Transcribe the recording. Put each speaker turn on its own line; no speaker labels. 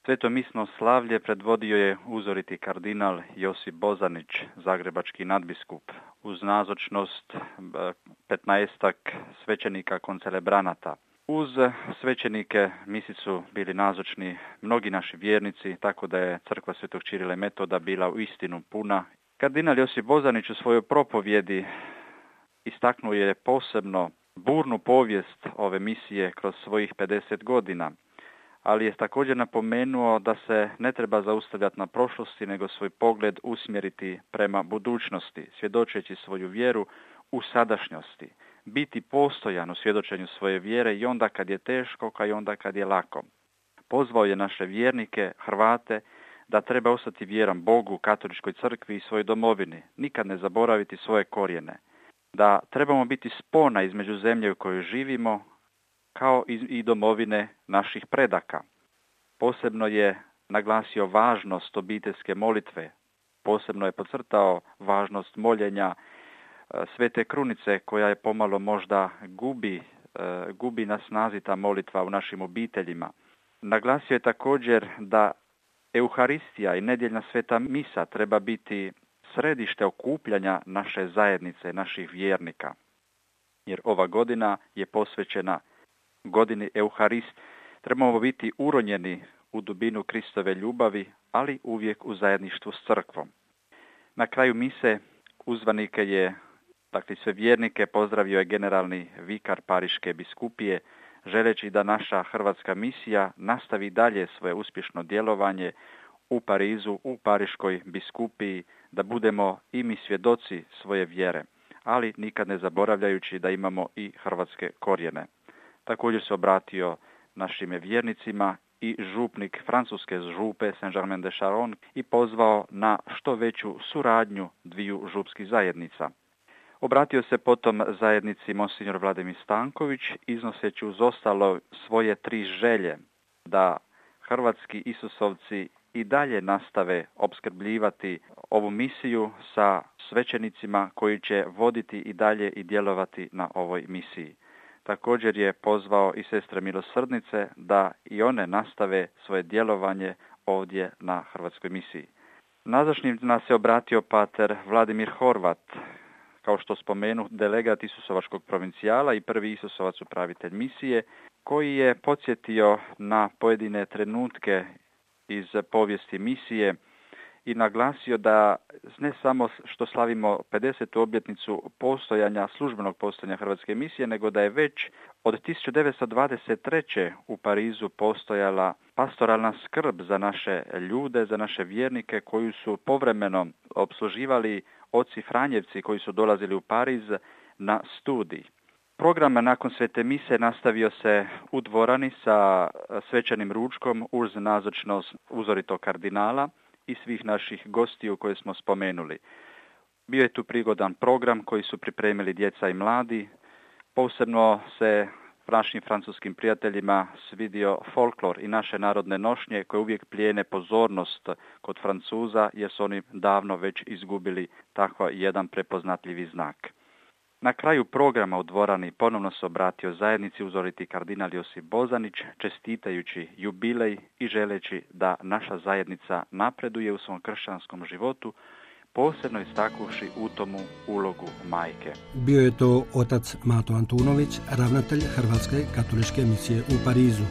Svetomisno slavlje predvodio je uzoriti kardinal Josip Bozanić, zagrebački nadbiskup, uz nazočnost 15 svećenika koncelebranata. Uz svećenike misi su bili nazočni mnogi naši vjernici, tako da je crkva Svetog Čirila i Metoda bila uistinu puna. Kardinal Josip Bozanić u svojoj propovjedi istaknuo je posebno burnu povijest ove misije kroz svojih 50 godina, ali je također napomenuo da se ne treba zaustavljati na prošlosti, nego svoj pogled usmjeriti prema budućnosti, svjedočeći svoju vjeru u sadašnjosti, biti postojan u svjedočenju svoje vjere i onda kad je teško, kao i onda kad je lako. Pozvao je naše vjernike, Hrvate, da treba ostati vjeran Bogu, Katoličkoj crkvi i svojoj domovini, nikad ne zaboraviti svoje korijene, da trebamo biti spona između zemlje u kojoj živimo, kao i domovine naših predaka. Posebno je naglasio važnost obiteljske molitve, posebno je podcrtao važnost moljenja Svete Krunice, koja je pomalo možda gubi na snazi ta molitva u našim obiteljima. Naglasio je također da Euharistija i nedjeljna sveta misa treba biti središte okupljanja naše zajednice, naših vjernika. Jer ova godina je posvećena godini Euharist. Trebamo biti uronjeni u dubinu Kristove ljubavi, ali uvijek u zajedništvu s crkvom. Na kraju mise uzvanike je, dakle sve vjernike, pozdravio je generalni vikar Pariške biskupije, želeći da naša hrvatska misija nastavi dalje svoje uspješno djelovanje u Parizu, u Pariškoj biskupiji, da budemo i mi svjedoci svoje vjere, ali nikad ne zaboravljajući da imamo i hrvatske korijene. Također se obratio našim vjernicima i župnik francuske župe Saint-Germain-de-Charonne i pozvao na što veću suradnju dviju župskih zajednica. Obratio se potom zajednici Monsignor Vladimir Stanković, iznoseći uz ostalo svoje 3 želje, da hrvatski Isusovci i dalje nastave opskrbljivati ovu misiju sa svećenicima koji će voditi i dalje i djelovati na ovoj misiji. Također je pozvao i sestre milosrdnice da i one nastave svoje djelovanje ovdje na hrvatskoj misiji. Nazočnim nas se obratio pater Vladimir Horvat, kao što spomenu, delegat Isusovačkog provincijala i prvi Isusovac upravitelj misije, koji je podsjetio na pojedine trenutke iz povijesti misije i naglasio da ne samo što slavimo 50. obljetnicu službenog postojanja hrvatske misije, nego da je već od 1923. u Parizu postojala pastoralna skrb za naše ljude, za naše vjernike koji su povremeno opsluživali oci Franjevci koji su dolazili u Pariz na studij. Program nakon svete mise nastavio se u dvorani sa svečanim ručkom uz nazočnost uzoritog kardinala i svih naših gostiju koje smo spomenuli. Bio je tu prigodan program koji su pripremili djeca i mladi. Posebno se našim francuskim prijateljima svidio folklor i naše narodne nošnje koje uvijek plijene pozornost kod Francuza jer su oni davno već izgubili tako jedan prepoznatljivi znak. Na kraju programa u dvorani ponovno se obratio zajednici uzoriti kardinal Josip Bozanić, čestitajući jubilej i želeći da naša zajednica napreduje u svom kršćanskom životu, posebno istaknuši u tomu ulogu majke.
Bio je to otac Mato Antunović, ravnatelj Hrvatske katoličke misije u Parizu.